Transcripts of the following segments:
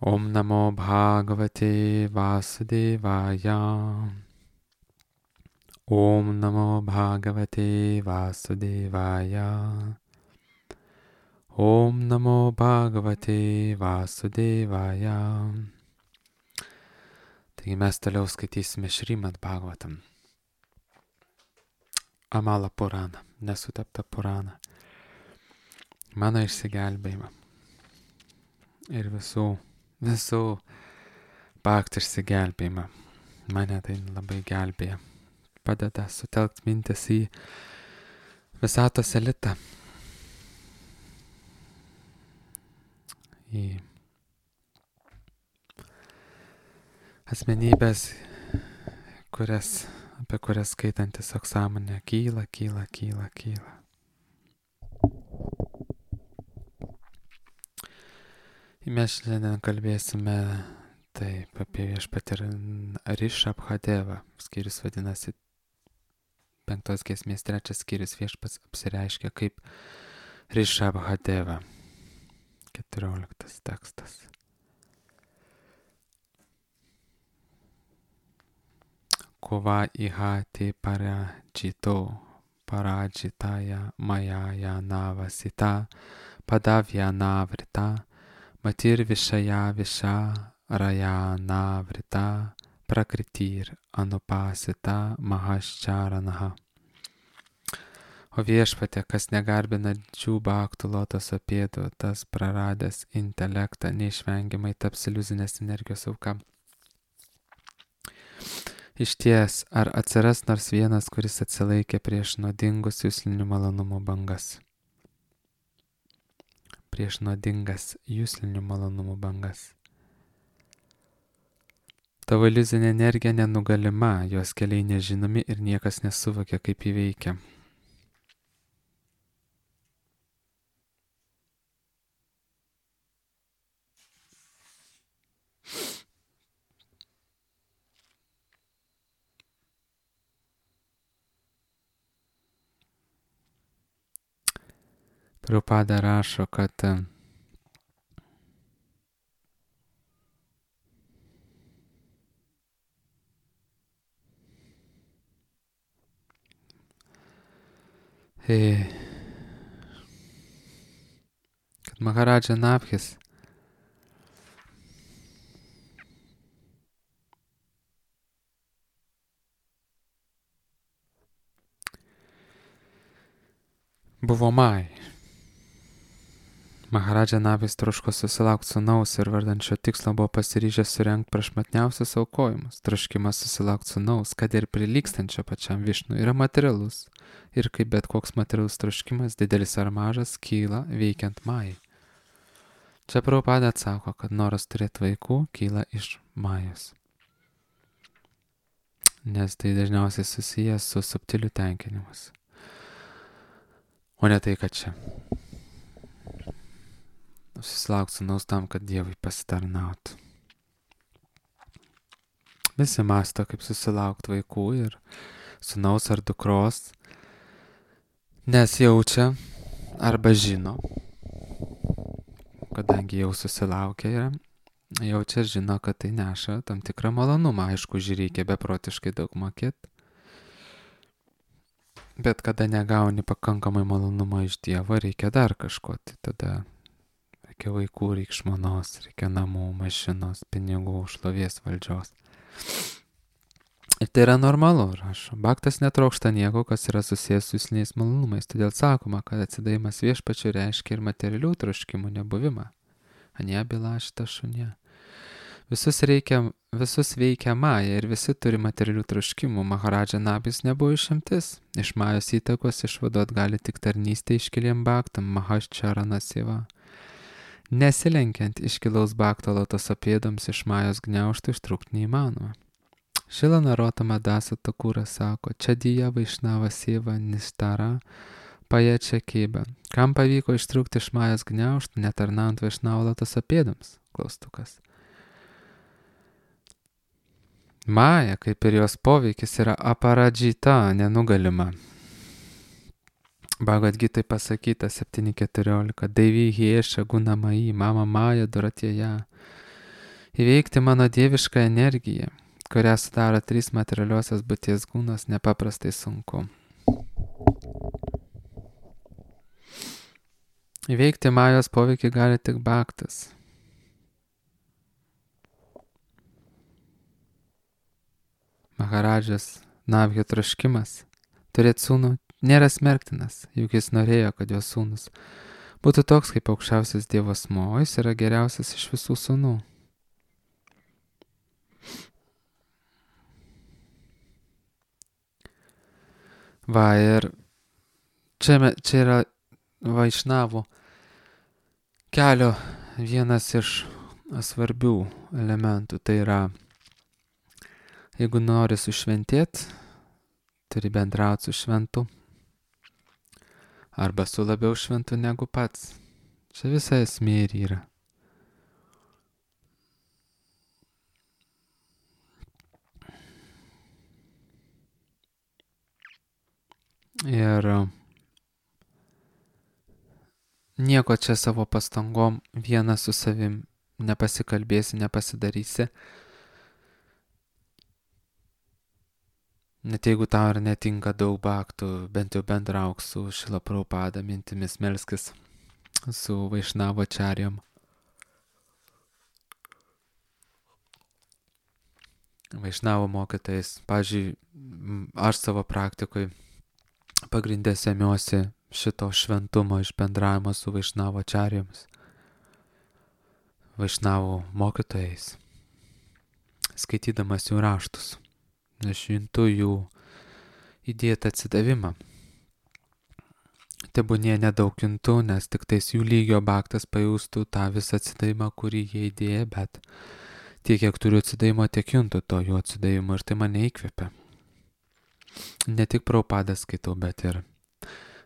Om Namo Bhagavate Vasudevaya. Om Namo Bhagavate Vasudevaya. Om Namo Bhagavate Vasudevaya. Taigi mes toliau skaitysime Šrimad Bhagavatam. Amala Purana, nesutepta Purana. Mano išsigelbėjimą. Ir visų bhaktų išsigelbėjimą. Mane tai labai gelbėja. Padeda sutelkti mintis į visatos elitą. Į asmenybės, apie kurias skaitantis sąmonė kyla. Mes šiandien kalbėsime taip apie viešpatį Rishabhadevą. Skyrius vadinasi 5 giesmės 3 skyrius. Viešpats apsireiškia kaip Rishabhadeva. 14 tekstas. Kova ihati parajitaya mayaya navasita padavya navrita matir vishaya raya navrita prakritir anupasita mahasčaranaha. O viešpatė, kas negarbina džių bhaktų lotoso pėdų, tas praradęs intelektą neišvengiamai taps iliuzinės energijos auka. Išties, ar atsiras nors vienas, kuris atsilaikė prieš nuodingus juslinių malonumų bangas? Prieš nuodingas juslinių malonumų bangas. Tavo iliuzinė energija nenugalima, jos keliai nežinomi ir niekas nesuvokia, kaip įveikia. Prabhupada rašo, kad Maharadža Nabhis buvo Mai. Maharadža Nabhis troško susilaukti sūnaus ir vardan šio tikslo buvo pasiryžęs surengti prašmatniausius aukojimus. Troškimas susilaukti sūnaus, kad ir prilygstančio pačiam Višnui, yra materialus. Ir kaip bet koks materialus troškimas, didelis ar mažas, kyla veikiant Mai. Čia Prabhupada atsako, kad noras turėti vaikų kyla iš Majos. Nes tai dažniausiai susijęs su subtiliu tenkinimus. O ne tai, kad čia susilaukti sūnaus tam, kad Dievui pasitarnautų. Visi mąsto, kaip susilaukti vaikų ir sūnaus ar dukros, nes jaučia arba žino, kadangi jau susilaukia yra, jaučia ir žino, kad tai neša tam tikrą malonumą. Aišku, reikia beprotiškai daug mokėti. Bet kada negauni pakankamai malonumo iš Dievo, reikia dar kažko. Tai tada reikia vaikų, reikia žmonos, reikia namų, mašinos, pinigų, šlovės, valdžios. Ir tai yra normalu, rašo. Bhaktas netrokšta nieko, kas yra susijęs su jusliniais malonumais. Todėl sakoma, kad atsidavimas viešpačiui reiškia ir materialių troškimų nebuvimą. Anie bilašta šunie. Visus veikia Maja ir visi turi materialių troškimų. Maharadža Nabhis nebuvo išimtis. Iš Majos įtakos išvaduot gali tik tarnystė iškiliem bhaktam, Mahasčarana seva. Nesilenkiant iškilaus bhakto lotoso pėdoms iš Majos gniaužtų ištrūkti neįmanoma. Šila Narotama Dasa Takūra sako, čia dija Vaišnava seva nistara paječia kėbę. Kam pavyko ištrūkti iš Majos gniaužtų, netarnaujant Vaišnavo lotoso pėdoms? Klaustukas. Maja, kaip ir jos poveikis, yra aparadžita, nenugalima. Bhagavad Gitai pasakyta 7.14. Daivi hieša gunamai, mama Maja duratėja. Įveikti mano dievišką energiją, kurią sudaro 3 materialiosios būties kūnas, nepaprastai sunku. Įveikti majos poveikį gali tik bhaktas. Maharadžas Navhio troškimas turėti sūnų nėra smerktinas, juk jis norėjo, kad jo sūnus būtų toks kaip aukščiausias Dievo asmuo, o jis yra geriausias iš visų sūnų. Va, ir čia yra Vaišnavų kelio vienas iš svarbių elementų. Tai yra, jeigu nori sušventėti, turi bendrauti su šventu arba su labiau šventu negu pats. Čia visa esmė ir yra. Ir nieko čia savo pastangom vienas su savim nepasikalbėsi, nepasidarysi. Net jeigu tau ir netinka daug bhaktų, bent jau bendrauk su Šrila Prabhupada, mintimis melskis su Vaišnavo ačarijom. Vaišnavo mokytais. Pavyzdžiui, aš savo praktikoj pagrindė semiuosi šito šventumo iš bendravimo su Vaišnavo ačarijomis, Vaišnavo mokytojais, skaitydamas jų raštus. Aš juntu jų įdėtą atsidavimą. Tebūnie nedaug juntu, nes tik tais jų lygio bhaktas pajustų tą visą atsidavimą, kurį jie įdėjo, bet tiek, kiek turiu atsidavimo, tiek juntu to jų atsidavimo ir tai mane įkvepia. Ne tik Prabhupadą skaitau, bet ir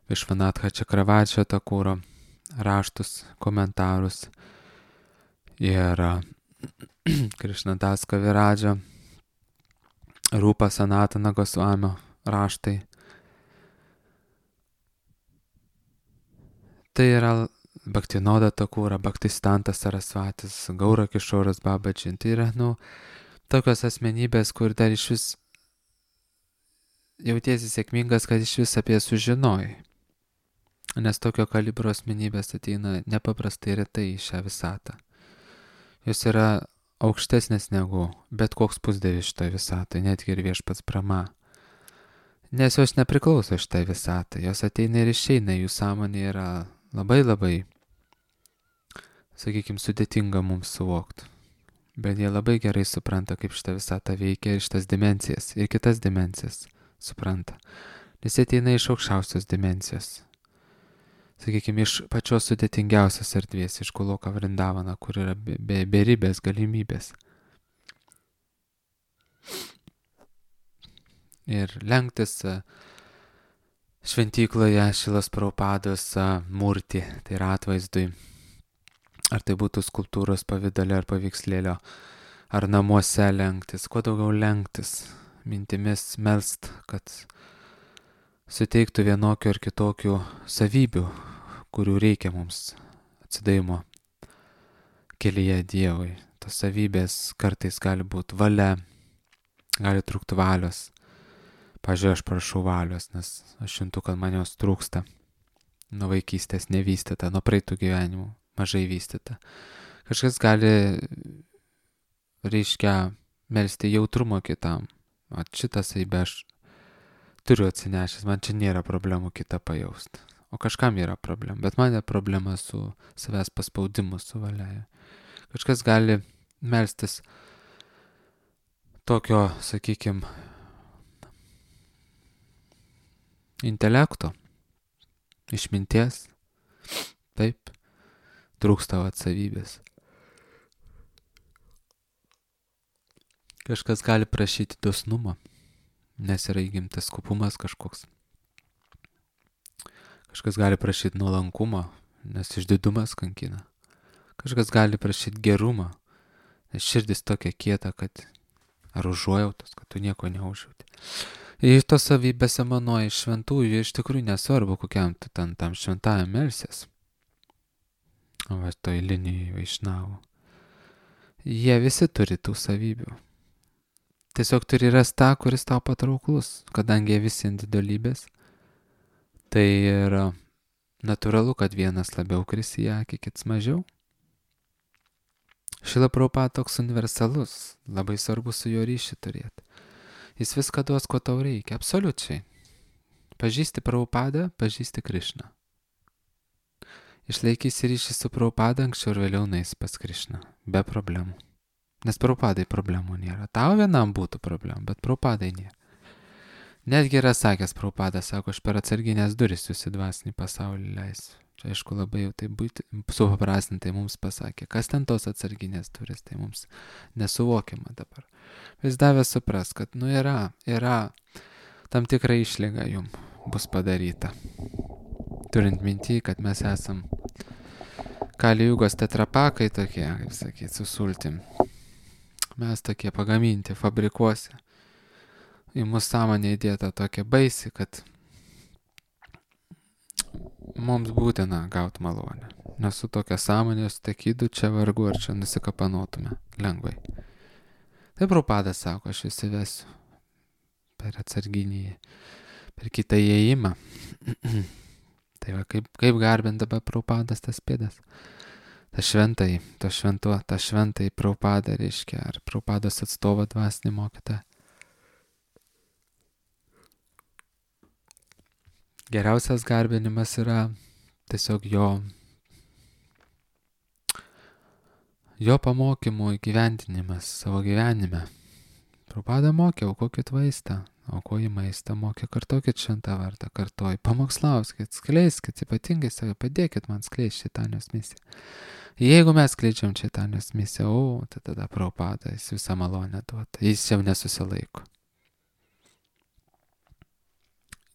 Višvanatha Čakravadžio Takuro raštus, komentarus ir Krišnadas Kaviradžio, Rūpa Sanatana Gosvamio raštai. Tai yra Bhaktinoda Takura, Bhaktistantas Sarasvatis, Gaura Kišoras Babaji. Tai yra, tokios asmenybės, kur dar iš vis jautiesi sėkmingas, kad iš vis apie sužinojai. Nes tokio kalibro asmenybės ateina nepaprastai retai į šią visatą. Jos yra aukštesnės negu bet koks pusdievis šitoje visatoje, netgi ir viešpats Brahma. Nes jos nepriklauso šitai visatai, jos ateina ir išeina, jų sąmonė yra labai, sakykime, sudėtinga mums suvokti. Bet jie labai gerai supranta, kaip šitą visatą veikia ir šitas dimensijas, ir kitas dimensijas supranta. Nes jie ateina iš aukščiausios dimensijos. Sakykime, iš pačios sudėtingiausios erdvės, iš Goloka Vrindavana, kur yra beribės galimybės. Ir lenktis šventykloje Šilas Prabhupados murti, tai yra atvaizdui, ar tai būtų skulptūros pavidale ar paveikslėlio, ar namuose lenktis, kuo daugiau lenktis, mintimis melst, kad suteiktų vienokių ar kitokių savybių, kurių reikia mums atsidavimo kelyje Dievui. Tos savybės kartais gali būti valia, gali trūkti valios. Pavyzdžiui, aš prašau valios, nes aš juntu, kad man jos trūksta. Nuo vaikystės nevystyta, nuo praeitų gyvenimų mažai vystyta. Kažkas gali, reiškia, melsti jautrumo kitam. O šitą savybę aš turiu atsinešęs, man čia nėra problemų kitą pajausti. O kažkam yra problema, bet man yra problema su savęs paspaudimu, su valia. Kažkas gali melstis tokio, sakykime, intelekto, išminties, taip, trūksta atsavybės. Kažkas gali prašyti dosnumo, nes yra įgimtas kupumas kažkoks. Kažkas gali prašyti nuolankumo, nes išdidumas kankina. Kažkas gali prašyti gerumo, nes širdis tokia kieta, kad ar užuojautos, kad tu nieko neužjauti. Ir tos savybės emanoja iš šventųjų, iš tikrųjų nesvarbu, kokiam tu tam šventajam melsies. O va toj linijai Vaišnavų. jie visi turi tų savybių. Tiesiog turi rasti tą, kuris tau patrauklus, kadangi jie visi individualybės. Tai yra natūralu, kad vienas labiau kris į akį, kits mažiau. Šrila Prabhupada toks universalus, labai svarbu su juo ryšį turėti. Jis viską duos, ko tau reikia, absoliučiai. Pažįsti Prabhupadą, pažįsti Krišną. Išlaikysi ryšį su Prabhupada, anksčiau ir vėliau nueisi pas Krišną, be problemų. Nes Prabhupadai problemų nėra. Tau vienam būtų problemų, bet Prabhupadai nėra. Netgi yra sakęs Prabhupada, sako, aš per atsarginės duris jūs į dvasinį pasaulį leisiu. Čia aišku labai jau tai supaprastintai mums pasakė, kas ten tos atsarginės duris, tai mums nesuvokiama dabar. Vis davė supras, kad yra tam tikra išlyga jum bus padaryta. Turint mintį, kad mes esam Kali Jugos tetrapakai tokie, kaip sakyti, su sultim. Mes tokie pagaminti fabrikuose. Į mūsų sąmonę įdėta tokia baisi, kad mums būtina gauti malonę. Nes su tokia sąmonė, su tekydu čia vargu ar čia nusikapanotume lengvai. Tai Prabhupada sako, aš jūs įvesiu per atsarginį, per kitą įėjimą. Tai va, kaip garbint dabar Prabhupadas tas pėdas. Ta šventai Prabhupada reiškia, ar Prabhupados atstovo dvasinį mokytą. Geriausias garbinimas yra tiesiog jo pamokymų įgyvendinimas savo gyvenime. Prabhupada mokė, aukokit vaistą, aukoji maistą, mokė, kartokit šventą vardą, kartoji, pamokslauskit, skleiskit, ypatingai save, padėkit man skleisti Čaitanijos misiją. Jeigu mes skleidžiam Čaitanijos misiją, tai tada Prabhupada, jis visą malonę duota, jis jau nesusilaiko.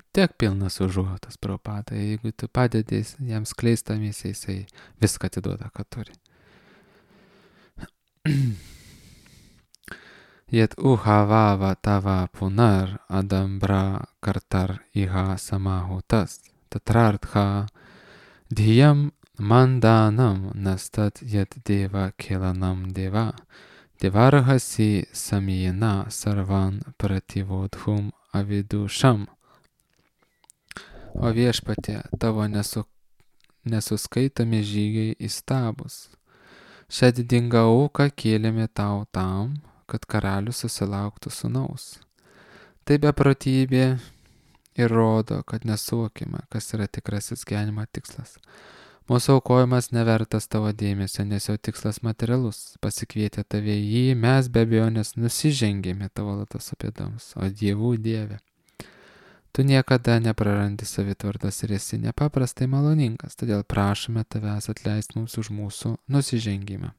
Tiek pilnas užuotas Prabhupada, jeigu tu padedi jam skleistą misiją, jisai viską atiduoda, ką turi. Yet uhavava tava punar adambra kartar iha samahutas tatrartha dhyam mandanam nastat yet deva kelanam deva devarhasi samyena sarvan prativodhum avidusham. O viešpatie, tavo nesuskaitomi žygiai įstabus. Šią didingą auką kėlėme tau tam, kad karalius susilauktų sūnaus. Tai beprotybė ir rodo, kad nesuvokime, kas yra tikrasis gyvenimo tikslas. Mūsų aukojimas nevertas tavo dėmesio, nes jo tikslas materialus. Pasikvietę tave į jį, mes be abejonės nusižengėme tavo lotoso pėdoms, o dievų dieve. Tu niekada neprarandi savitvardos ir esi nepaprastai maloningas, todėl prašome tavęs atleisti mums už mūsų nusižengimą.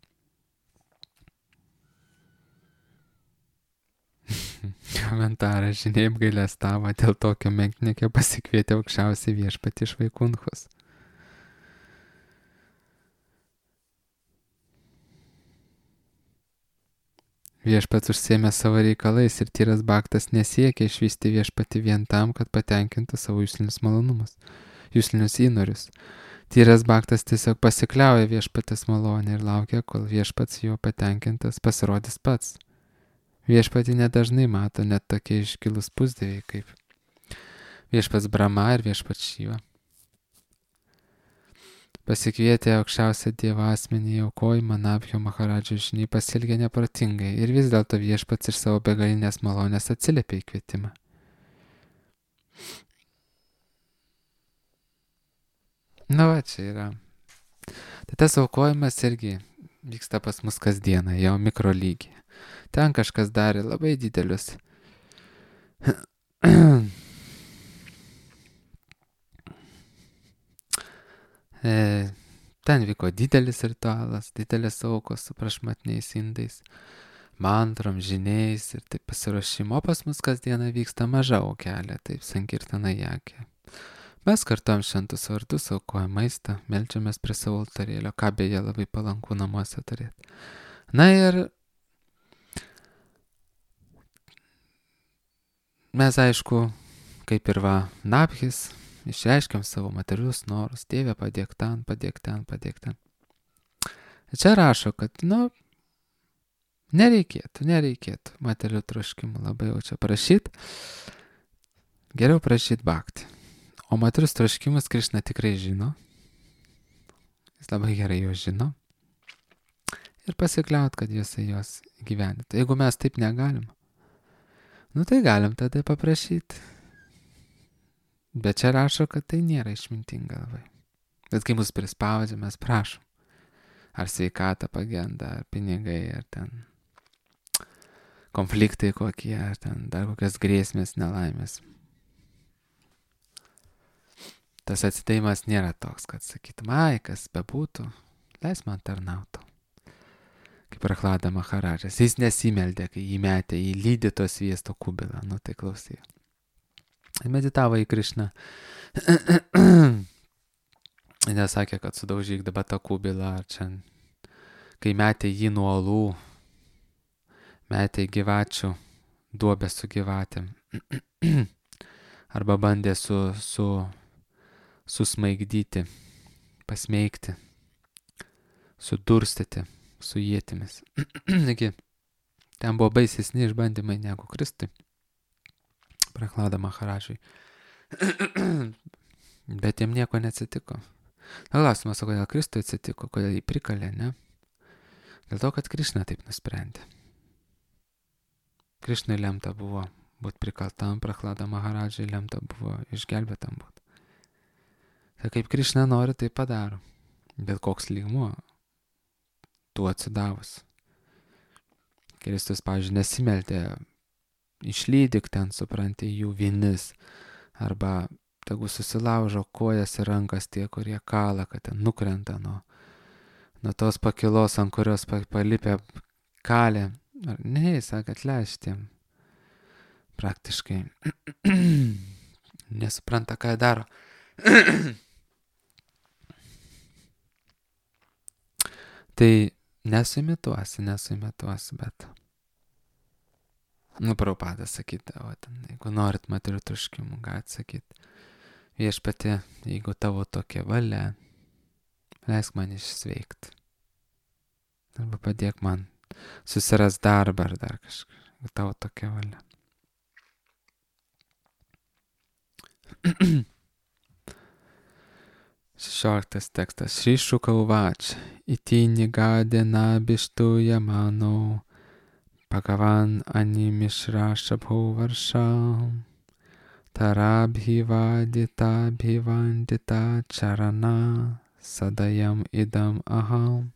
Komentaras, žinai, apgailestavo dėl tokio menkniekio pasikvietė aukščiausią viešpatį iš Vaikunchos. Viešpats užsėmė savo reikalais ir tyras baktas nesiekia išvysti viešpatį vien tam, kad patenkintų savo juslinius malonumus, juslinius įnorius. Tyras baktas tiesiog pasikliauja viešpatės malonę ir laukia, kol viešpats jo patenkintas pasirodys pats. Viešpatį nedažnai mato net tokie iškilus pusdieviai kaip viešpats Brahma ir viešpats Šiva. Pasikvietę aukščiausią Dievo asmenį į aukojimą, Nabhio Maharadžo žiniai pasielgė neprotingai ir vis dėlto viešpats iš savo begalinės malonės atsiliepė į kvietimą. Na va, čia yra. Tai tas aukojimas irgi vyksta pas mus kasdieną, jau mikro lygiai. Ten kažkas darė labai didelius ten vyko didelis ritualas, didelės aukos su prašmatniais indais, mantrom, žiniais ir taip pasiruošimo. O pas mus kasdieną vyksta maža aukelė, taip sankirtana jakė. Mes kartuojam šventus vardus, aukojam maistą, meldžiamės prie savo altarėlio, ką beje labai palanku namuose turėti. Na ir mes aišku, kaip ir Nabhis, išreiškiam savo materialius norus, Dieve, padėk ten, padėk ten, padėk ten. Čia rašo, kad, Nereikėtų materialių troškimų labai jau čia prašyti. Geriau prašyti bhakti. O materialius troškimus Krišna tikrai žino. Jis labai gerai juos žino. Ir pasikliaut, kad jisai juos gyvenėtų. Jeigu mes taip negalim, tai galim tada paprašyti. Bet čia rašo, kad tai nėra išmintinga labai. Bet kai mus prispaudžia, mes prašom. Ar sveikata pagenda, ar pinigai, ar ten konfliktai kokie, ar ten dar kokias grėsmės, nelaimės. Tas atsidėjimas nėra toks, kad sakytum, kas bebūtų, leis man tarnauti. Kaip Prahlada Maharadžas, jis nesimeldė, kai jį metė į lydyto sviesto kubilą. Tai klausy. Meditavo į Krišną. Nesakė, kad sudaužyk dabar tą kubilą, ar čia, kai metė jį nuo uolų, metė į gyvačių duobę su gyvatėm. Arba bandė susmaigdyti, pasmeigti, sudurstyti su ietimis. Ten buvo baisesni išbandymai negu Kristui, Prahlada Maharadžui. Bet jam nieko neatsitiko. Klausimas, kodėl Kristui atsitiko, kodėl jį prikalė, ne? Dėl to, kad Krišna taip nusprendė. Krišnai lemta buvo būti prikaltam, Prahlada Maharadžai lemta buvo išgelbėtam būti. Tai kaip Krišna nori, tai padaro. Bet koks lygmuo tu atsidavus. Kristus, pavyzdžiui, nesimeldė, išlydyk ten, supranti, jų vinis, arba tegu susilaužo kojas ir rankas tie, kurie kala, kad ten nukrenta nuo tos pakilos, ant kurios palipę kalė. Ne, jis sakė, atleištiem. Praktiškai nesupranta, ką jie daro. Tai nesuimituosi, bet Prabhupadas sakydavo, jeigu norit materialių troškimų, galite sakyti, viešpatie, jeigu tavo tokia valia, leisk man išsveikti. Arba padėk man susiras darbą ar dar kažką, jeigu tavo tokia valia. Šešioliktas tekstas. Šri Šuka uvač, iti nigadena bištu yamano, Bhagavan animishra shabho varsham, tarabhivadita bhivandita charana, sadayam idam aham.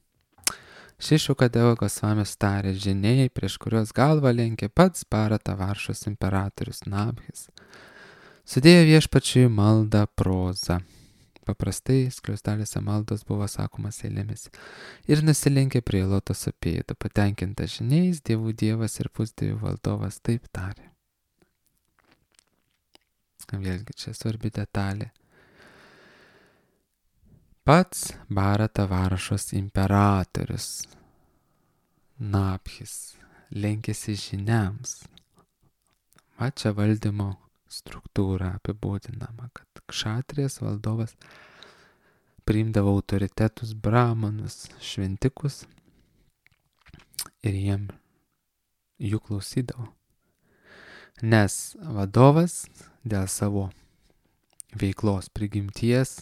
Šri Šukadeva Gosvamis tarė, žiniai, prieš kurios galvą lenkė pats Bharata Varšos imperatorius Nabhis, sudėjo viešpačiui maldą prozą. Paprastai skliausteliuose maldos buvo sakomas eilėmis. Ir nusilenkė prie lotoso pėdų, patenkinta žiniais, dievų dievas ir pusdievių valdovas taip tarė. Vėlgi čia svarbi detalė. Pats Bharata Varšos imperatorius Nabhis lenkėsi žiniams. Va čia valdymo struktūra apibūdinama, kad kšatrijas valdovas priimdavo autoritetus, brahmanus, šventikus ir jų klausydavo. Nes vadovas dėl savo veiklos prigimties,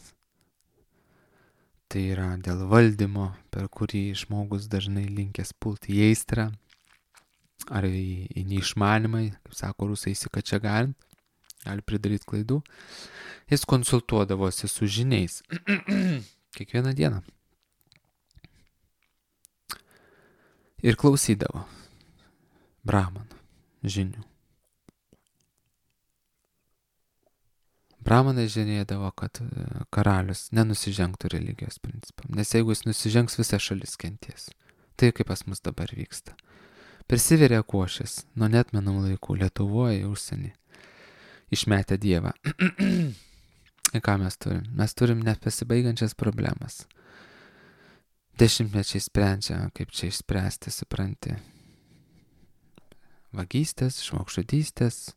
tai yra dėl valdymo, per kurį žmogus dažnai linkęs pulti į aistrą ar į neišmanimą, kaip sako rusai, įsikačia galint, gali pridaryti klaidų, jis konsultuodavosi su žiniais kiekvieną dieną ir klausydavo brahmanų žinių. Brahmanai žinėdavo, kad karalius nenusižengtų religijos principam, nes jeigu jis nusižengs, visa šalis kenties. Tai kaip pas mus dabar vyksta. Prisiveria košės nuo neatmenamų laikų Lietuvoje, užsienį. Išmetę Dievą. Ir ką mes turim? Mes turim nepasibaigiančias problemas. Dešimtmečiai sprendžia, kaip čia išspręsti, supranti. Vagystės, žmogžudystės,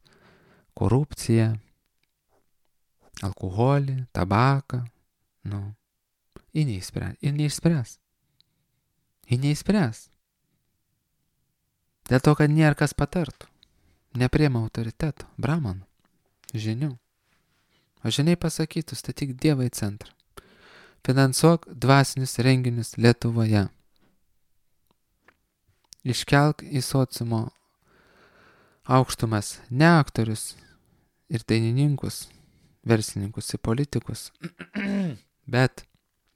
korupciją, alkoholį, tabaką. Ir neišspręs. Ir neišspręs. Dėl to, kad nėra kas patartų. Nepriema autoriteto, bramanų, žinių. O žiniai pasakytų, statyk Dievą į centrą. Finansuok dvasinius renginius Lietuvoje. Iškelk į sociumo aukštumas ne aktorius ir dainininkus, verslininkus ir politikus, bet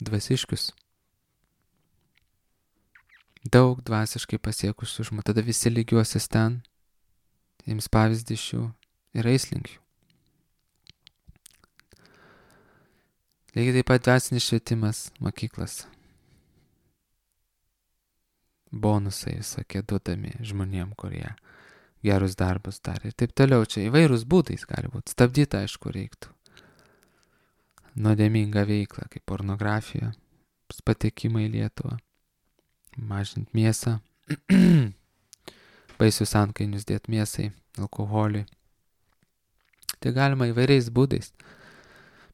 dvasiškius. Daug dvasiškai pasiekusių žmonių. Tada visi lygiuosis ten, ims pavyzdį iš jų ir eis link jų. Lygiai taip pat dvasinis švietimas mokyklas. Bonusai visokie duodami žmonėm, kurie gerus darbus darė ir taip toliau. Čia įvairūs būdais gali būti. Stabdyti, aišku, reiktų. Nuodėmingą veiklą, kaip pornografija, patekimą į Lietuvą, mažinti mėsą, baisius antkainius dėti mėsai, alkoholiui. Tai galima įvairiais būdais.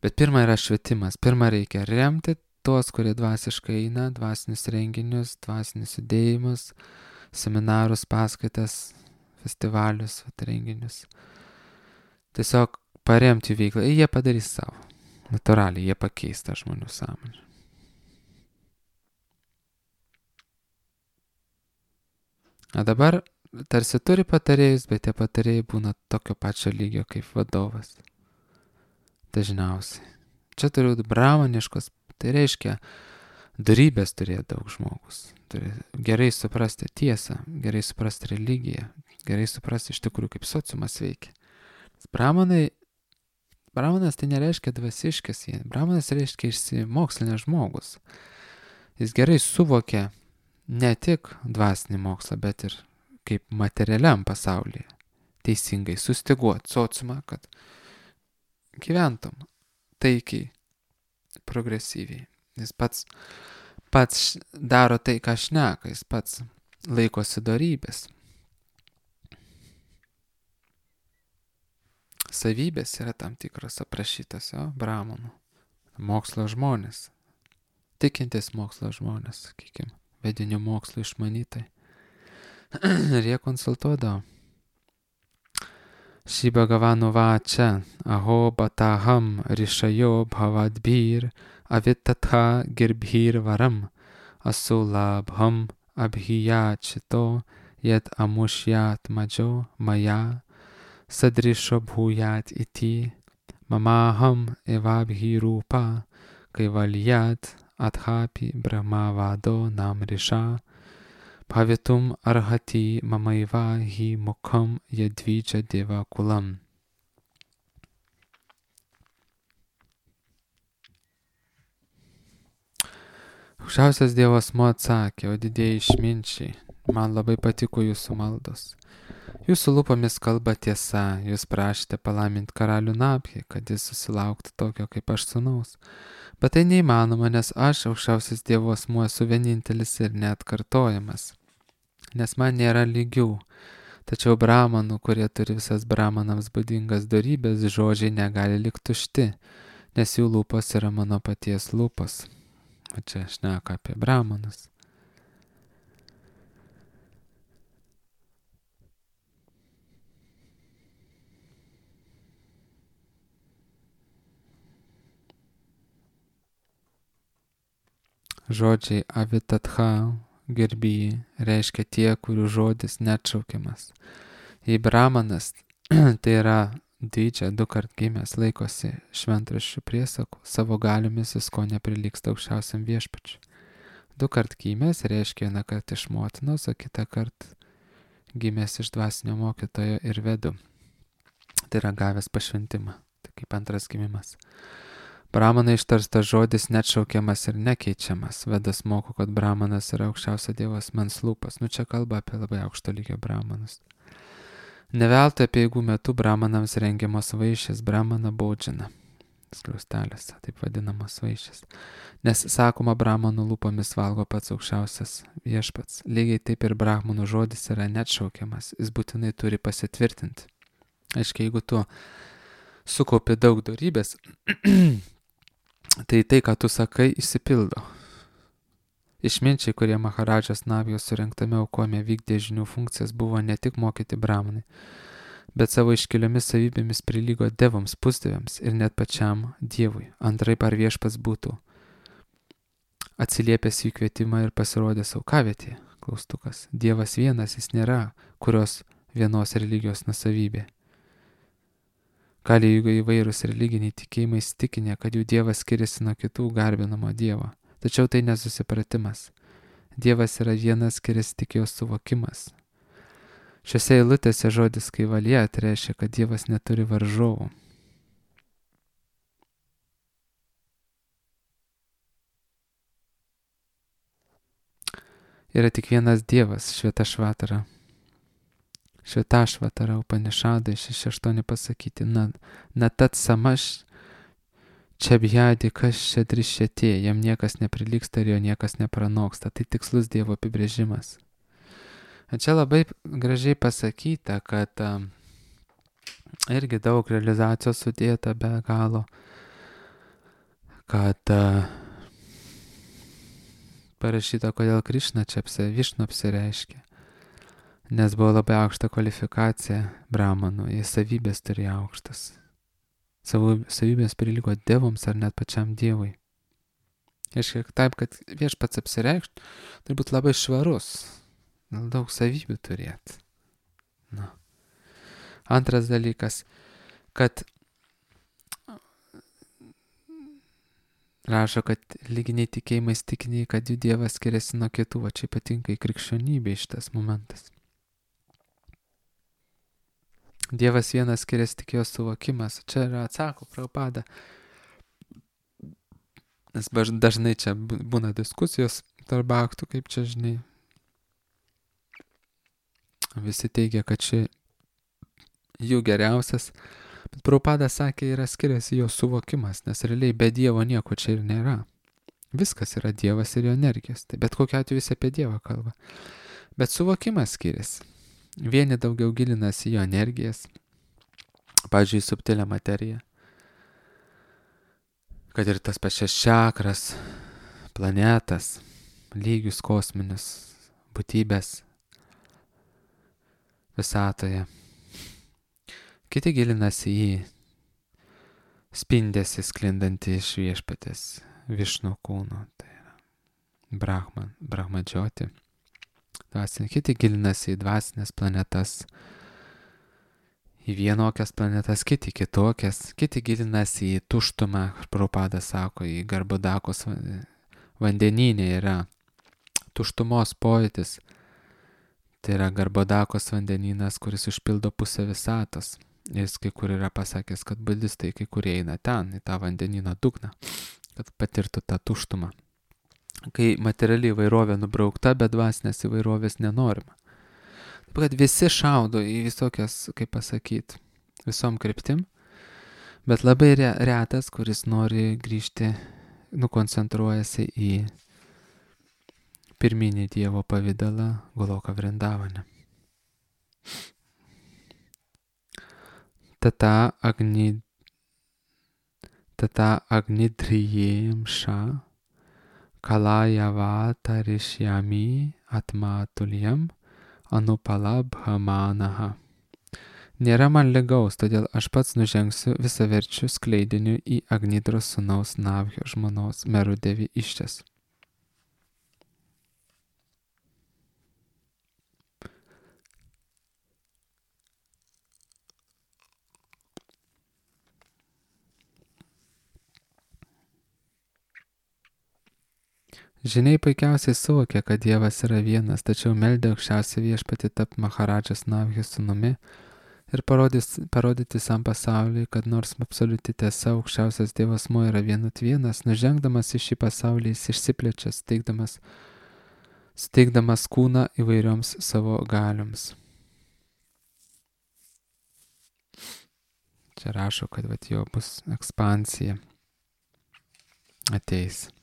Bet pirma yra švietimas. Pirma reikia remti tuos, kurie dvasiškai eina, dvasinius renginius, dvasinius judėjimus, seminarus, paskaitas, festivalius, renginius. Tiesiog paremti jų veiklą. Ir jie padarys savo. Natūraliai jie pakeis tą žmonių sąmonę. O dabar tarsi turi patarėjus, bet tie patarėjai būna tokio pačio lygio kaip vadovas. Dažniausiai. Čia turi bramaniškos, tai reiškia, dorybės turėti daug žmogus. Turi gerai suprasti tiesą, gerai suprasti religiją, gerai suprasti iš tikrųjų, kaip sociumas veikia. Bramanas tai nereiškia dvasiškas, bramanas reiškia išsimokslinęs žmogus. Jis gerai suvokia ne tik dvasinį mokslą, bet ir kaip materialiam pasaulyje teisingai sustiguoti sociumą, kad gyventum taikiai, progresyviai. Jis pats daro tai, ką šneka, jis pats laikosi dorybės. Savybės yra tam tikros aprašytos, bramanų. Mokslo žmonės. Tikintis mokslo žmonės, sakykime, vedinių mokslo išmanytai. Ir jie konsultuodavo. Shri Bhagavanu vacha aho bataham rishayo bhavadbhir avitatha girbhir varam asulabham abhiyachito yat amushyat majo maya sadrisho bhuyat iti mamaham evabhirupa kaivalyat adhapi brahmavado namrisha Bhavitum arhati mamaiva hi mukham yadvicha deva kulam. Aukščiausias Dievo asmuo atsakė, o didieji išminčiai, man labai patiko jūsų maldos. Jūsų lūpomis kalba tiesa, jūs prašėte palaiminti karalių Nabhį, kad jis susilauktų tokio kaip aš sūnaus. Bet tai neįmanoma, nes aš, aukščiausias Dievo asmuo, esu vienintelis ir neatkartojamas. Nes man nėra lygių. Tačiau bramanų, kurie turi visas bramanams būdingas dorybės, žodžiai negali likti tušti, nes jų lūpos yra mano paties lūpos. O čia šneka apie bramanus. Žodžiai avitatha, gerbėjai, reiškia tie, kurių žodis neatšaukiamas. Jei bramanas, tai yra didžia, 2 kart gimęs, laikosi šventraščių priesakų, savo galiomis jis ko neprilygsta aukščiausiam viešpačiui. 2 kart gimęs reiškia 1 kart iš motinos, o kitą kart gimęs iš dvasinio mokytojo ir vedu. Tai yra gavęs pašventimą, tai kaip antras gimimas. Brahmanai ištarstas žodis neatšaukiamas ir nekeičiamas. Vedas moko, kad brahmanas yra aukščiausio Dievo asmens lūpas. Čia kalba apie labai aukšto lygio brahmanus. Neveltui apeigų metu brahmanams rengiamos vaišės, brahmana baudžiana. Skliaustelės, taip vadinamos vaišės. Nes sakoma, brahmanų lūpomis valgo pats aukščiausias viešpats. Lygiai taip ir brahmanų žodis yra neatšaukiamas. Jis būtinai turi pasitvirtinti. Aiškiai, jeigu tu sukaupi daug dorybės, tai, ką tu sakai, išsipildo. Išminčiai, kurie Maharadžos Navijos surinktame aukojime vykdė žinių funkcijas, buvo ne tik mokyti brahmanai, bet savo iškiliomis savybėmis prilygo devoms, pusdieviams ir net pačiam Dievui. Antraip ar viešpats būtų atsiliepęs jų kvietimą ir pasirodęs aukavietėje? Klaustukas. Dievas vienas, jis nėra kurios vienos religijos nusavybė. Kali įvairūs religiniai tikėjimai įsitikinę, kad jų dievas skiriasi nuo kitų garbinamo dievo. Tačiau tai nesusipratimas. Dievas yra vienas, skiriasi tik jo suvokimas. Šiose eilutėse žodis kaivalija reiškia, kad Dievas neturi varžovų. Yra tik vienas Dievas, Švetašvatara. Švetašvatara Upanišadai 6.8 pasakyti. Na tat samaš čebjadi kas čia drišėtė, jam niekas neprilygsta ir jo niekas nepranoksta. Tai tikslus Dievo apibrėžimas. Čia labai gražiai pasakyta, kad irgi daug realizacijos sudėta be galo, kad parašyta, kodėl Krišna čia Višnu apsireiškė, nes buvo labai aukšta kvalifikacija brahmanų, jie savybės turėjo aukštas. Savybės prilygo devoms ar net pačiam Dievui. Aiškiai, taip, kad viešpats apsireikštų, turi būti labai švarus. Daug savybių turėti. Antras dalykas, kad rašo, kad lyginiai tikėjimai įsitikinę, kad jų Dievas skiriasi nuo kitų, va čia ypatingai krikščionybė šitas momentas. Dievas vienas, skiriasi tik jo suvokimas. Čia yra atsako Prabhupada. Nes dažnai čia būna diskusijos tarp aktų, kaip čia žinai. Visi teigia, kad čia jų geriausias, bet Prabhupada sakė, yra skiriasi jo suvokimas, nes realiai be Dievo nieko čia ir nėra. Viskas yra Dievas ir jo energijos, tai bet kokiu atveju visi apie Dievą kalba. Bet suvokimas skiriasi. Vieni daugiau gilinasi jo energijas, pavyzdžiui, subtilę materiją, kad ir tas pačias čakras, planetas, lygius kosminius, būtybės visatoje. Kiti gilinasi į spindesį sklindantį iš viešpatės Višnu kūno, tai yra Brahmadžioti. Kiti gilinasi į dvasinės planetas, į vienokias planetas, kiti kitokias, kiti gilinasi į tuštumą, Prabhupada sako, į Garbhodakos vandenyne yra tuštumos pojūtis. Tai yra Garbhodakos vandenynas, kuris užpildo pusę visatos. Jis kai kur yra pasakęs, kad budistai kai kurie eina ten, į tą vandenyno dugną, kad patirtų tą tuštumą. Kai materiali įvairovė nubraukta, bet dvasinės įvairovės nenorima. Taip kad visi šaudo į visokias, kaip pasakyti, visom kryptim, bet labai retas, kuris nori grįžti, nukoncentruojasi į pirminį Dievo pavidalą Goloka Vrindavane. Tata agnidriyem ša kalayava tarishyami atmatulyam anupalabhamanaha. Nėra man ligaus, todėl aš pats nužengsiu visaverčiu skleidiniu į Agnidros sūnaus Navhio žmonos Merudevi iščias. Žiniai puikiausiai suvokė, kad Dievas yra vienas, tačiau meldė aukščiausią viešpatį tapti Maharadžos Navhio sūnumi ir parodyti visam pasauliui, kad nors absoliuti tiesa aukščiausias Dievo asmuo yra vienas, nužengdamas į šį pasaulį jis išsiplečia, suteikdamas kūną įvairioms savo galioms. Čia rašo, kad jo bus ekspansija ateis.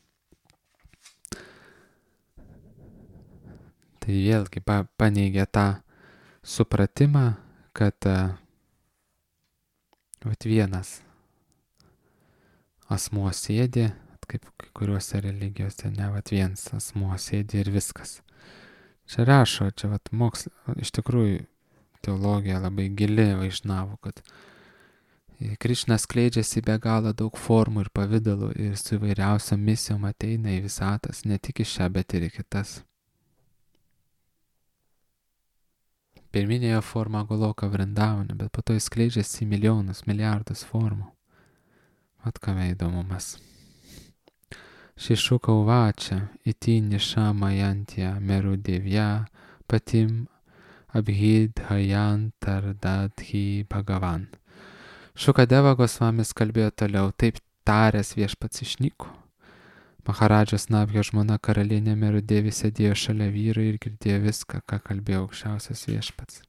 Tai vėlgi paneigia tą supratimą, kad vienas asmuo sėdi, kaip kai kuriuose religijose, ne vat viens asmuo sėdi ir viskas. Čia rašo, čia vat mokslas, iš tikrųjų teologija labai gili vaišnavų, kad Krišna skleidžiasi be galo daug formų ir pavydalų ir su įvairiausiom misijom ateina į visatas, ne tik į šią, bet ir į kitas. Pirminėje forma Goloka Vrindavane, bet po to jis skleidžiasi į milijonus, milijardus formų. Vat kame įdomumas. Šišuka uvačia, iti nišamajantya merudevya patim abhidhayantardadhi bhagavan. Šukadeva Gosvamis kalbėjo toliau, taip taręs viešpats išnyko. Maharadžas Nabhio žmona karalienė Merudevi sėdėjo šalia vyro ir girdėjo viską, ką kalbėjo aukščiausias viešpats.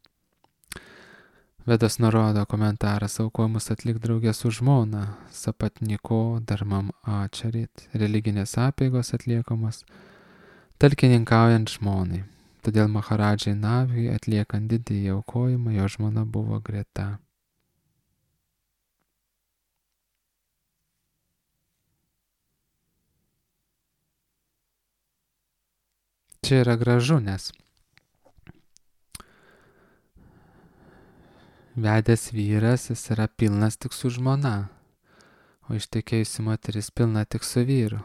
Vedas nurodo komentaras, aukojimus atlik draugė su žmona, sapatniko darmam ačarit, religinės apeigos atliekamos, talkininkaujant žmonai. Todėl Maharadžai Nabhiui atliekant didįjį aukojimą, jo žmona buvo greta. Čia yra gražu, nes vedęs vyras, jis yra pilnas tik su žmona, o ištekėjusi moteris pilna tik su vyru.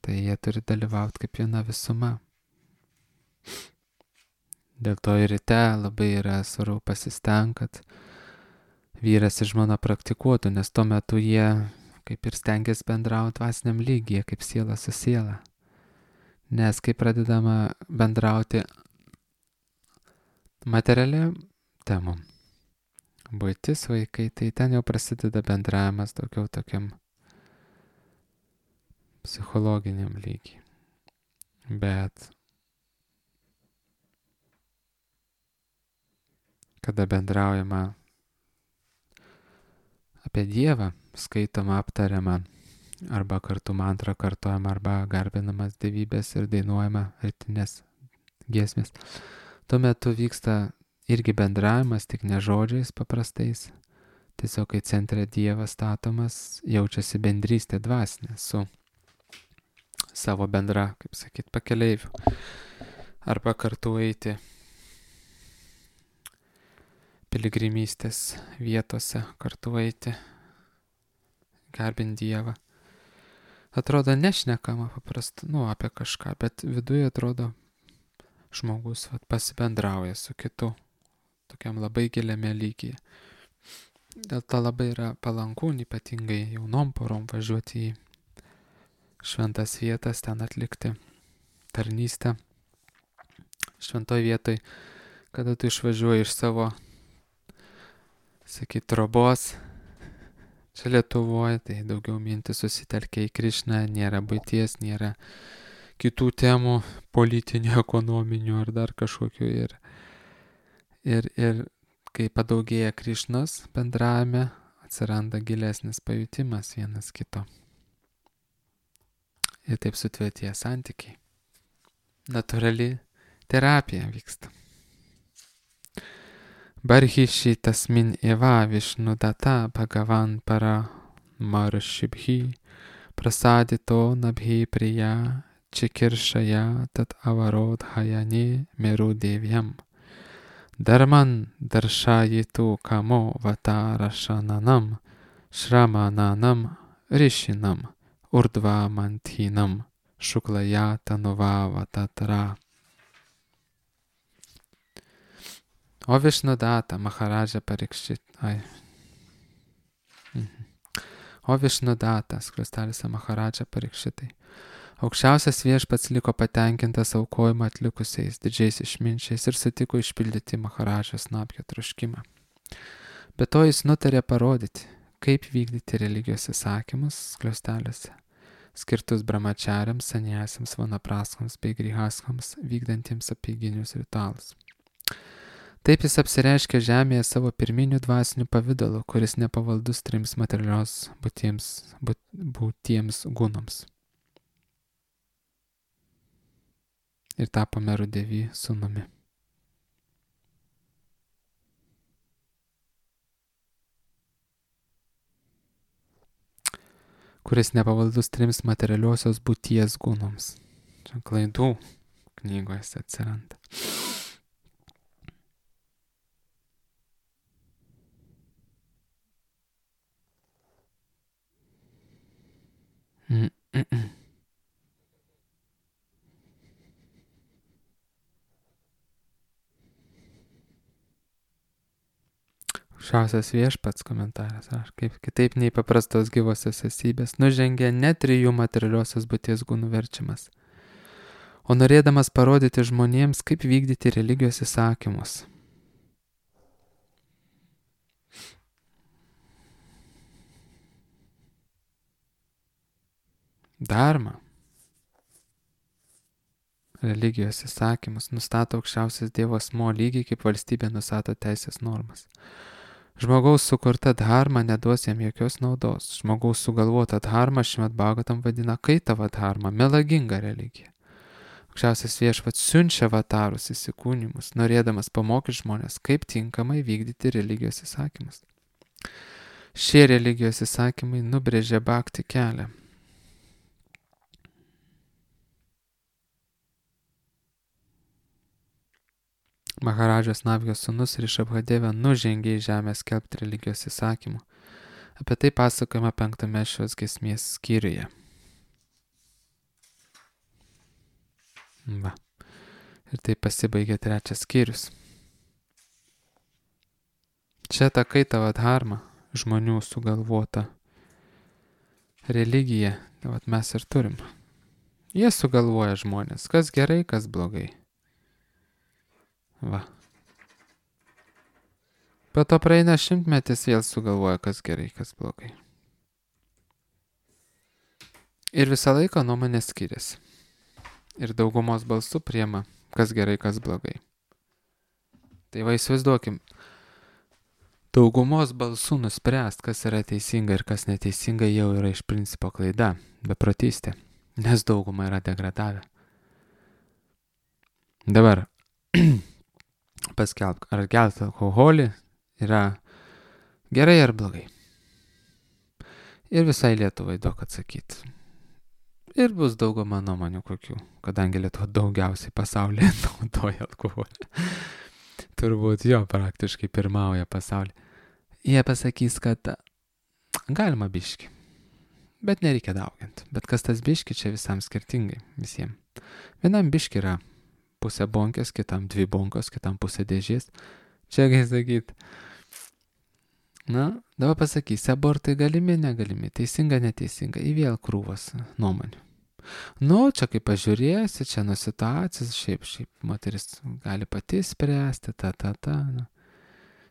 Tai jie turi dalyvauti kaip viena visuma. Dėl to ir ryte labai yra svarbu pasistengti, kad vyras ir žmona praktikuotų, nes tuo metu jie kaip ir stengiasi bendrauti dvasiniam lygyje, kaip siela su siela. Nes kai pradedama bendrauti materialiam temom, buitis, vaikai, tai ten jau prasideda bendravimas daugiau tokiam psichologiniam lygiai. Bet kada bendraujama apie Dievą, skaitoma, aptariama, arba kartu mantra kartojama, arba garbinamas dievybės ir dainuojama rytinės giesmės, tuo metu vyksta irgi bendravimas, tik ne žodžiais paprastais. Tiesiog, kai centre Dievas statomas, jaučiasi bendrystė dvasinė su savo bendra, kaip sakyt, pakeleiviu. Arba kartu eiti piligrimystės vietose, kartu eiti, garbinti Dievą. Atrodo nešnekama paprastai, apie kažką, bet viduje atrodo žmogus pasibendrauja su kitu, tokiam labai giliame lygyje. Dėl to labai yra palanku, ypatingai jaunom porom važiuoti į šventas vietas, ten atlikti tarnystę. Šventoj vietoj, kada tu išvažiuoji iš savo, trobos, čia Lietuvoje, tai daugiau mintis susitelkia į Krišną, nėra buities, nėra kitų temų, politinių, ekonominių ar dar kažkokių. Ir kai padaugėja Krišnos bendravime, atsiranda gilesnis pajutimas vienas kito. Ir taip sutvirtėja santykiai. Natūrali terapija vyksta. Barhishi tasmin eva Vishnudata Bhagavan para marshibhi prasadito nabhi priya chikirshaya tat avarodhayane merudevyam dharman darshayitu kamo vatarashananam shramananam rishinam urdva manthinam shuklaya tanuva vatatra. O Vishnudata Maharadža Parikšit. O Vishnudata, skliaustelėse Maharadža Parikšitai. Aukščiausias viešpats liko patenkintas aukojimą atlikusiais didžiais išminčiais ir sutiko išpildyti Maharadžos Nabhio troškimą. Be to jis nutarė parodyti, kaip vykdyti religijos įsakymus skliaustelėse, skirtus brahmachariams, saniasiams, vanapraskams bei grihaskams vykdantiems apeiginius ritualus. Taip jis apsireiškė žemėje savo pirminių dvasinių pavidalų, kuris nepavaldus trims materialios būtiems gunams. Ir tapo Merudevy sūnumi. kuris nepavaldus 3 materialiosios būties gunoms. Čia klaidų knygoje atsiranda. Aukščiausias viešpats komentaras, ar kaip kitaip nei paprastos gyvosios esybės, nužengė ne 3 materialiosios būties gunų verčiamas, o norėdamas parodyti žmonėms, kaip vykdyti religijos įsakymus. Dharma. Religijos įsakymus nustato aukščiausias Dievo asmuo lygiai kaip valstybė nustato teisės normas. Žmogaus sukurta dharma neduos jam jokios naudos. Žmogaus sugalvota dharma Šrimad Bhagavatam vadina kaitava dharma, melaginga religija. Aukščiausias viešpats siunčia avatarus įsikūnimus, norėdamas pamokyti žmonės, kaip tinkamai vykdyti religijos įsakymus. Šie religijos įsakymai nubrėžė bhakti kelią. Maharadžas Navijos sūnus Rišabhadeva nužengė į žemę skelbti religijos įsakymų. Apie tai pasakojama 5 šios giesmės skyriuje. Va. Ir tai pasibaigė 3 skyrius. Čia ta kaitava dharma, žmonių sugalvota religija, tai mes ir turim. Jie sugalvoja žmonės, kas gerai, kas blogai. Va. Po to praeina 100-metis, vėl sugalvoja, kas gerai, kas blogai. Ir visą laiką nuomonės skiriasi. Ir daugumos balsų priema, kas gerai, kas blogai. Tai va įsivaizduokim, daugumos balsų nuspręst, kas yra teisinga ir kas neteisinga, jau yra iš principo klaida, beprotystė, nes dauguma yra degradavę. Dabar paskelbk, ar gerti alkoholį yra gerai ar blogai. Ir visai Lietuvai daug atsakyti. Ir bus dauguma nuomonių kokių, kadangi Lietuva daugiausiai pasaulyje naudoja alkoholį. Turbūt jo praktiškai pirmauja pasaulyje. Jie pasakys, kad galima biški, bet nereikia dauginti. Bet kas tas biški, čia visam skirtingai, visiems. Vienam biški yra pusę bonkės, kitam 2 bonkos, kitam pusę dėžės. Čia gai sakyt. Na, dabar pasakysi, abortai galimi, negalimi, teisinga, neteisinga, į vėl krūvas nuomonių. Nu, čia kaip pažiūrėsi, čia nuo situacijos, šiaip, moteris gali pati spręsti, na.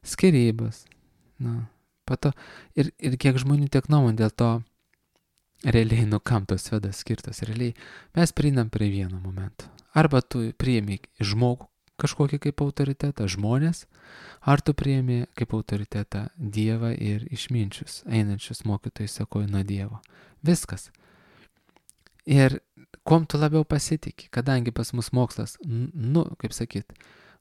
Skyrybos, na, pato, ir kiek žmonių tiek nuomonių, dėl to realiai, kam tos vedas skirtos, realiai mes prieinam prie vieno momento. Arba tu priėmė žmogų kažkokį kaip autoritetą, žmonės, ar tu priėmė kaip autoritetą Dievą ir išminčius, einančius mokytojai sakoja nuo Dievo. Viskas. Ir kuom tu labiau pasitiki, kadangi pas mus mokslas,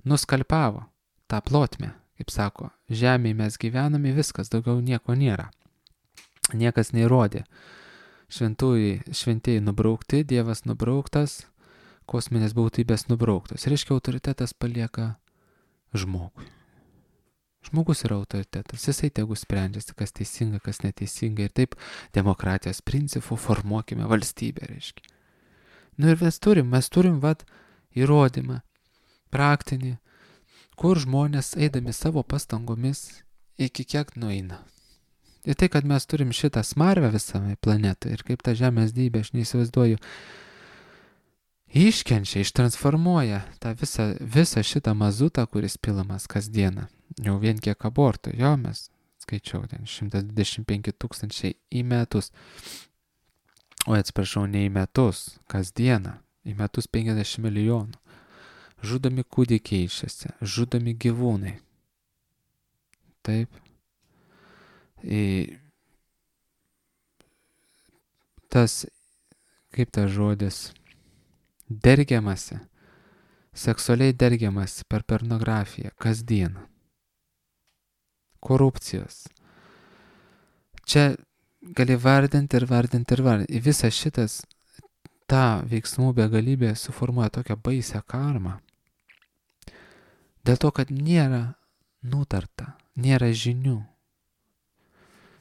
nuskalpavo tą plotmę, kaip sako, žemėje mes gyvename, viskas, daugiau nieko nėra. Niekas neįrodė. Šventieji nubraukti, Dievas nubrauktas, kosminės būtybės nubrauktos. Reiškia, autoritetas palieka žmogui. Žmogus yra autoritetas, jisai tegu sprendžiasi, kas teisinga, kas neteisinga. Ir taip demokratijos principų formuokime valstybę, reiškia. Nu ir mes turim įrodymą, praktinį, kur žmonės eidami savo pastangomis iki kiek nueina. Ir tai, kad mes turim šitą smarvę visame planetoje ir kaip ta žemės dybė, aš neįsivaizduoju, iškenčia, ištransformuoja tą visą šitą mazutą, kuris pilamas kasdieną. Jau vien kiek abortų, jo mes skaičiau, 125 000 į metus. O atsiprašau, ne į metus, kasdieną, į metus 50 milijonų. Žudomi kūdikiai išėse, žudomi gyvūnai. Taip. Tas, kaip tas žodis, dergiamasi, seksualiai dergiamasi per pornografiją kasdieną. Korupcijos. Čia gali vardinti ir vardinti ir vardinti. Visas šitas, ta veiksmų begalybė suformuoja tokią baisią karmą. Dėl to, kad nėra nutarta, nėra žinių.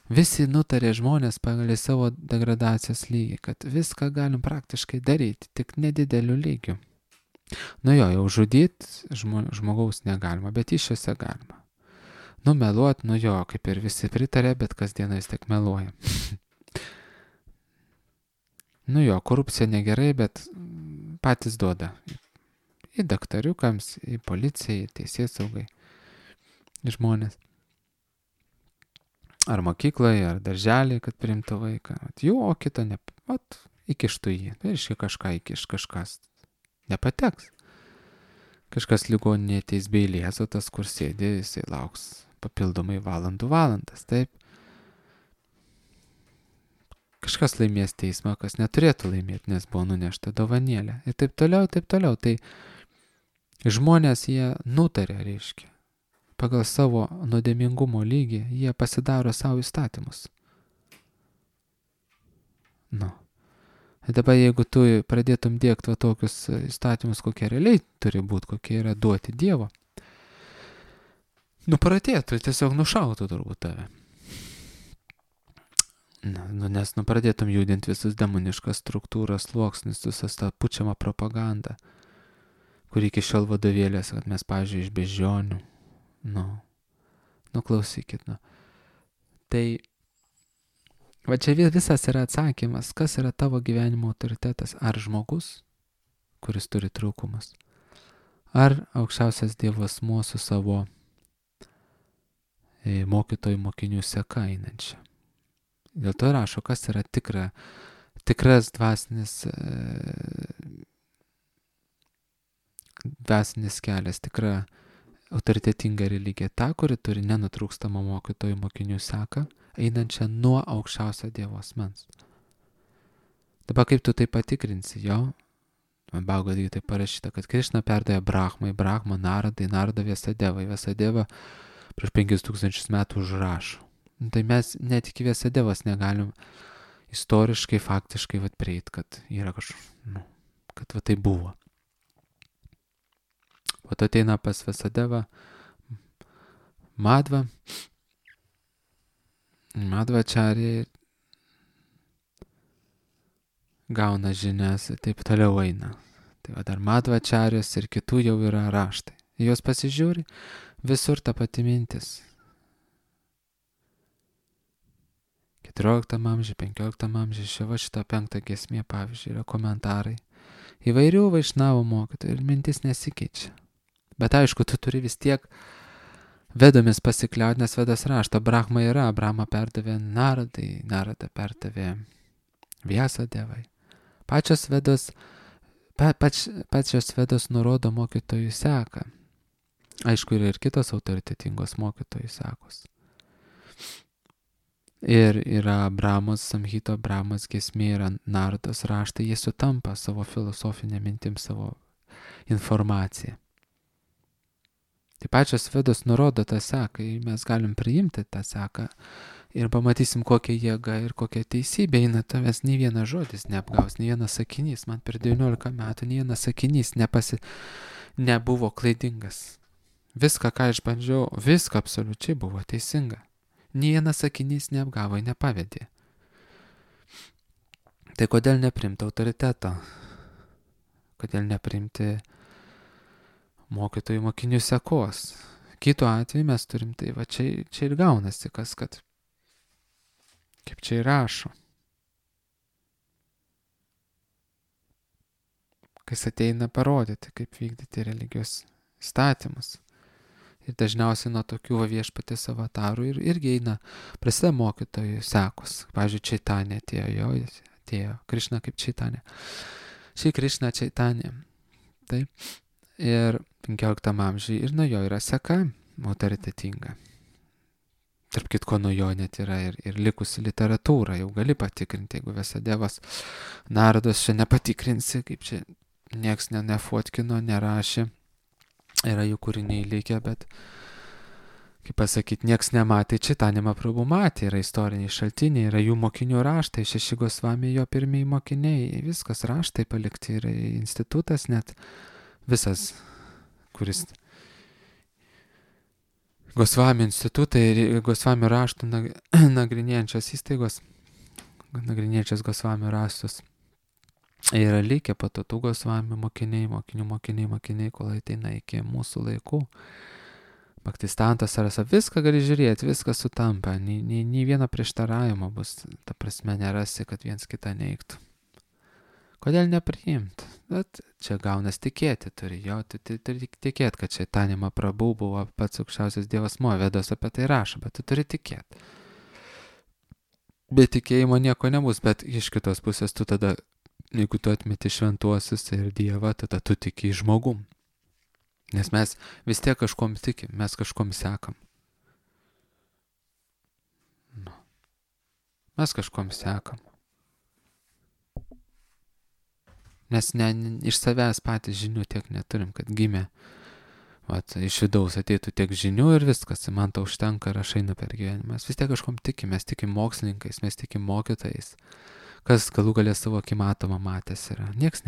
Visi nutarė žmonės pagal savo degradacijos lygį, kad viską galim praktiškai daryti, tik nedideliu lygiu. Nu jau žudyti žmogaus negalima, bet iššiose galima. Meluot, kaip ir visi pritarė, bet kasdieną vis tiek meluoja. Korupcija negerai, bet patys duoda. Į daktariukams, į policiją, į teisėsaugai, į žmonės. Ar mokykloje, ar darželį, kad priimtų vaiką. O kito ne. Įkištų jį. Tai reiškia kažką įkiš, kažkas nepateks. Kažkas ligoninėje ateis be eilės, o tas, kur sėdi, jisai lauks papildomai valandas, taip. Kažkas laimės teismą, kas neturėtų laimėti, nes buvo nunešta dovanėlė. Ir taip toliau, taip toliau. Tai žmonės jie nutarė, reiškia. Pagal savo nuodėmingumo lygį jie pasidaro savo įstatymus. Ir dabar jeigu tu pradėtum dėkti tokius įstatymus, kokie realiai turi būti, kokie yra duoti Dievo, pradėtų, tiesiog nušautų turbūt tave. Nes pradėtum judinti visus demoniškas struktūras, sluoksnis, visas tą pučiamą propagandą, kur iki šiol vadovėlės, kad mes, pavyzdžiui, iš beždžionių. Klausykit. Tai va čia visas yra atsakymas, kas yra tavo gyvenimo autoritetas. Ar žmogus, kuris turi trūkumus, ar aukščiausias Dievo asmuo su savo mokytojų mokinių seka einančia. Dėl to rašo, kas yra tikras dvasinis kelias, tikra autoritetinga religija, ta, kuri turi nenutrūkstamą mokytojų mokinių seką, einančią nuo aukščiausio Dievo asmens. Dabar kaip tu tai patikrinsi, Bhagavad Gita parašyta, kad Krišna perdavė Brahmai, Brahma Naradai, Narada Vyasadevai, Vyasadeva prieš 5000 metų užrašo. Tai mes net iki Vyasadevos negalim istoriškai, faktiškai prieiti, kad yra kad tai buvo. O tu ateina pas Vyasadevą Madhvacharya gauna žinias ir taip toliau eina. Tai dar Madhvacharyos ir kitų jau yra raštai. Jos pasižiūri, visur ta pati mintis. 14 amžiuje, 15 amžiuje, šita 5 giesmė, pavyzdžiui, yra komentarai. Įvairių vaišnavų mokytojų ir mintis nesikeičia. Bet aišku, tu turi vis tiek vedomis pasikliauti, nes Vedas rašto, Brahma yra, Brahma perdavė Naradai, Narada perdavė Vyasadevai. Pačios Vedos nurodo mokytojų seką. Aišku, yra ir kitos autoritetingos mokytojų sekos. Ir yra Brahmos Samhita, Brahmos giesmė, yra Narados raštai, jie sutampa savo filosofinę mintim, savo informaciją. Tai pačios Vedos nurodo tą seką, mes galim priimti tą seką ir pamatysim, kokia jėga ir kokia teisybė eina, tavęs nei vienas žodis neapgaus, nei vienas sakinys, man per 19 metų nei vienas sakinys nebuvo klaidingas. Viską, ką išbandžiau, viską absoliučiai buvo teisinga. Nei vienas sakinys neapgavo, nepavedė. Tai kodėl neprimti autoriteto? Kodėl neprimti mokytojų mokinių sekos? Kitu atveju mes turim tai, čia ir gaunasi kas, kad kaip čia ir rašo. Kas ateina parodyti, kaip vykdyti religijos įstatymus. Ir dažniausiai nuo tokių viešpatės avatarų irgi eina prasideda mokytojų sekos. Pavyzdžiui, Čaitanė atėjo Krišna kaip Čaitanė. Šį Krišna Čaitanė. Taip. Ir 15 amžiuje ir nuo jo yra seka autoritetinga. Tarp kitko, nuo jo net yra ir likusi literatūra, jau gali patikrinti, jeigu Vyasadevas Narados čia nepatikrinsi, kaip čia nieks nefotkino, nerašė. Yra jų kūriniai likę, bet kaip pasakyti, nieks nematė, Čaitanija Mahaprabhu matė, yra istoriniai šaltiniai, yra jų mokinių raštai, 6 Gosvami jo pirmieji mokiniai, viskas raštai palikti, yra institutas net visas, kuris Gosvami institutai ir Gosvami raštų nagrinėjančios įstaigos, nagrinėjančios Gosvami raštus. Yra likę po to tų Gosvami mokiniai, mokiniai, kol ateina iki mūsų laikų. Bhaktistantas Sarasa, viską gali žiūrėti, viskas sutampa, nei vieno prieštaravimo bus, ta prasme nerasi, kad viens kitą neigtų. Kodėl nepriimti? Bet čia gaunas tikėti turi, jo, tu turi tikėti, kad Čaitanija Mahaprabhu buvo pats aukščiausias dievas Vedos apie tai rašo, bet tu turi tikėti. Be tikėjimo nieko nebus, bet iš kitos pusės tu tada, jeigu tu atmeti šventuosius ir dievą, tada tu tiki žmogum. Nes mes vis tiek kažkom tikim, mes kažkom sekam. Mes kažkom sekam. Nes iš savęs patys žinių tiek neturim, kad gimė. Iš vidaus ateitų tiek žinių ir viskas, man to užtenka ir aš einu per gyvenimą. Mes vis tiek kažkom tikim, mes tikim mokslininkais, mes tikim mokytojais. Kas galų galę savo akimatomą matęs yra. Nieks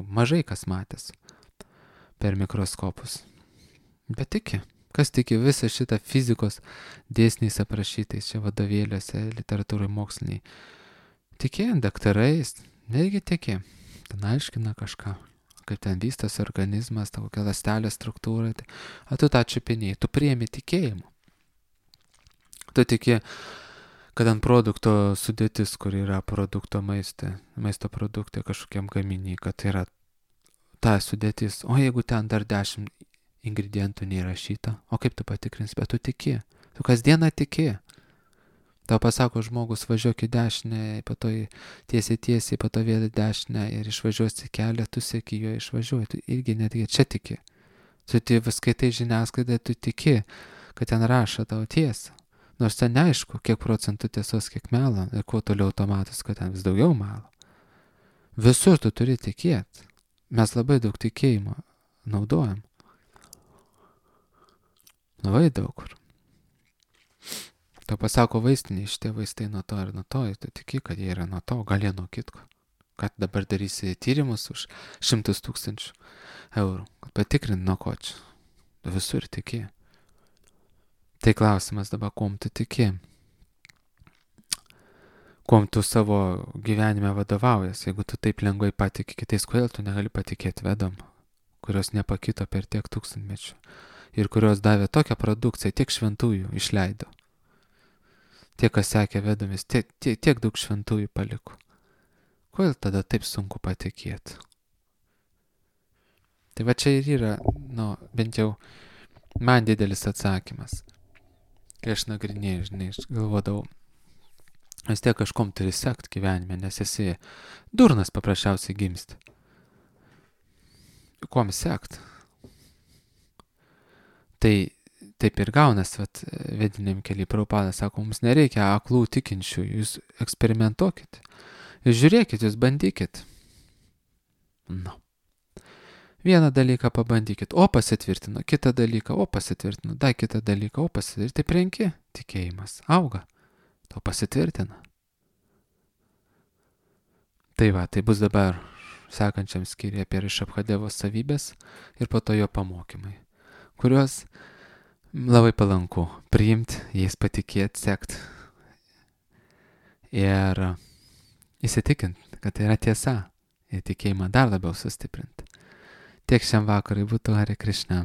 mažai kas matęs per mikroskopus. Bet tiki. Kas tiki visą šitą fizikos dėsniais aprašytais čia vadovėliuose, literatūrai moksliniai. Tikėjant daktarais, negi tiki. Ten aiškina kažką, kaip ten vystosi organizmas, ta kokia ląstelė struktūra. Tu tą čiupinėjai, tu priemi tikėjimu. Tu tiki, kad ant produkto sudėtis, kur yra produkto maisto produktai kažkokiam gaminiai, kad tai yra ta sudėtis. O jeigu ten dar 10 ingredientų neįrašyta, o kaip tu patikrins, bet tu tiki. Tu kasdieną tiki. Tau pasako žmogus, važiuok į dešinę, po to tiesiai, po to vėl į dešinę ir išvažiuosi kelią, tu seki jo išvažiuoji, tu irgi netgi čia tiki. Tu skaitai žiniasklaidą, tu tiki, kad ten rašo tavo tiesą. Nors ten neaišku, kiek procentų tiesos, kiek melo ir kuo toliau automatus, kad ten vis daugiau melo. Visur tu turi tikėti. Mes labai daug tikėjimo naudojam. Labai daug kur. Tau pasako vaistiniai, šitie vaistai nuo to ir nuo to, tu tiki, kad jie yra nuo to, gal jie nuo kitko. Kad dabar darysi tyrimus už 100 000 eurų, kad patikrint nuo ko čia. Tu visur tiki. Tai klausimas dabar, kuom tu tiki. Kuom tu savo gyvenime vadovaujas, jeigu tu taip lengvai patiki kitais, kodėl tu negali patikėti Vedom, kurios nepakito per tiek tūkstantmečių ir kurios davė tokią produkciją, tiek šventųjų išleido. Tie, kas sekė Vedomis, tiek daug šventųjų paliko. Kodėl tada taip sunku patikėti? Tai va čia ir yra, bent jau man didelis atsakymas. Kai aš nagrinėjau, žinai, aš galvodavau, vis tiek kažkom turi sekt gyvenime, nes esi durnas paprasčiausiai gimsti. Kuom sekt? Tai taip ir gaunas, vediniam keliai Prabhupada sako, mums nereikia aklų tikinčių, jūs eksperimentuokit, jūs žiūrėkit, jūs bandykit. Vieną dalyką pabandykit, o pasitvirtino, kitą dalyką, o pasitvirtino, dar kitą dalyką, o pasitvirtino, taip renki, tikėjimas auga, to pasitvirtina. Tai tai bus dabar sekančiam skyriuje apie Rišabhadevos savybės ir po to jo pamokymai, kuriuos labai palanku priimti, jais patikėti, sekt ir įsitikinti, kad tai yra tiesa ir tikėjimą dar labiau sustiprinti. Tiek šiam vakarui būtų Hare Krishna.